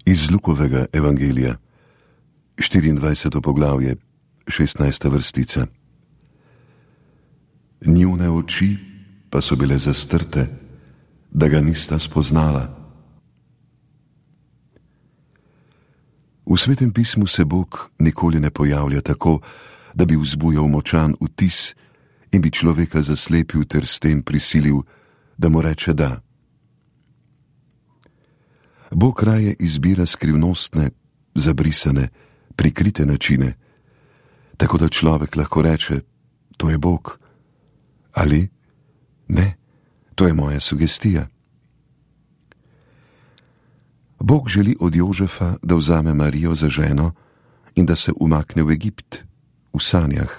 Iz Lukovega evangelija, 24. poglavje, 16. vrstica. Njune oči pa so bile zastrte, da ga nista spoznala. V Svetem pismu se Bog nikoli ne pojavlja tako, da bi vzbujal močan vtis in bi človeka zaslepil ter s tem prisilil, da mu reče da. Bog raje izbira skrivnostne, zabrisane, prikrite načine, tako da človek lahko reče, to je Bog, ali ne, to je moja sugestija. Bog želi od Jožefa, da vzame Marijo za ženo in da se umakne v Egipt, v sanjah.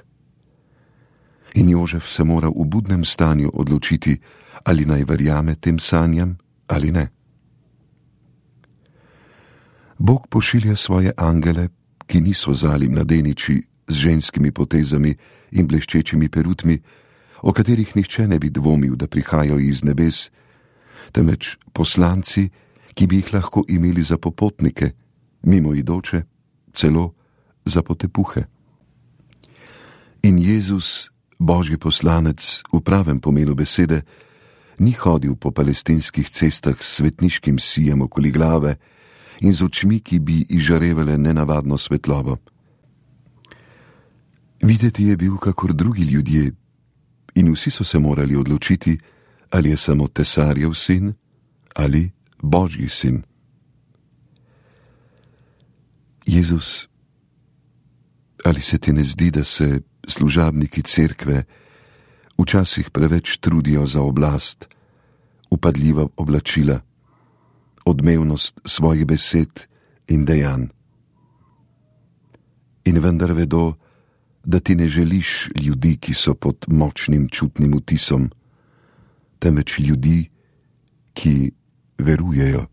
In Jožef se mora v budnem stanju odločiti, ali naj verjame tem sanjam ali ne. Bog pošilja svoje angele, ki niso zali mladeniči z ženskimi potezami in bleščečimi perutmi, o katerih nihče ne bi dvomil, da prihajajo iz nebes, temveč poslanci, ki bi jih lahko imeli za popotnike, mimoidoče, celo za potepuhe. In Jezus, Božji poslanec v pravem pomenu besede, ni hodil po palestinskih cestah s svetniškim sijem okoli glave in z očmi, ki bi izžarevale nenavadno svetlobo. Videti je bil kakor drugi ljudje in vsi so se morali odločiti, ali je samo tesarjev sin ali Božji sin. Jezus, ali se ti ne zdi, da se služabniki cerkve včasih preveč trudijo za oblast, vpadljiva oblačila, odmevnost svojih besed in dejanj? In vendar vedo, da ti ne želiš ljudi, ki so pod močnim čutnim vtisom, temveč ljudi, ki verujejo.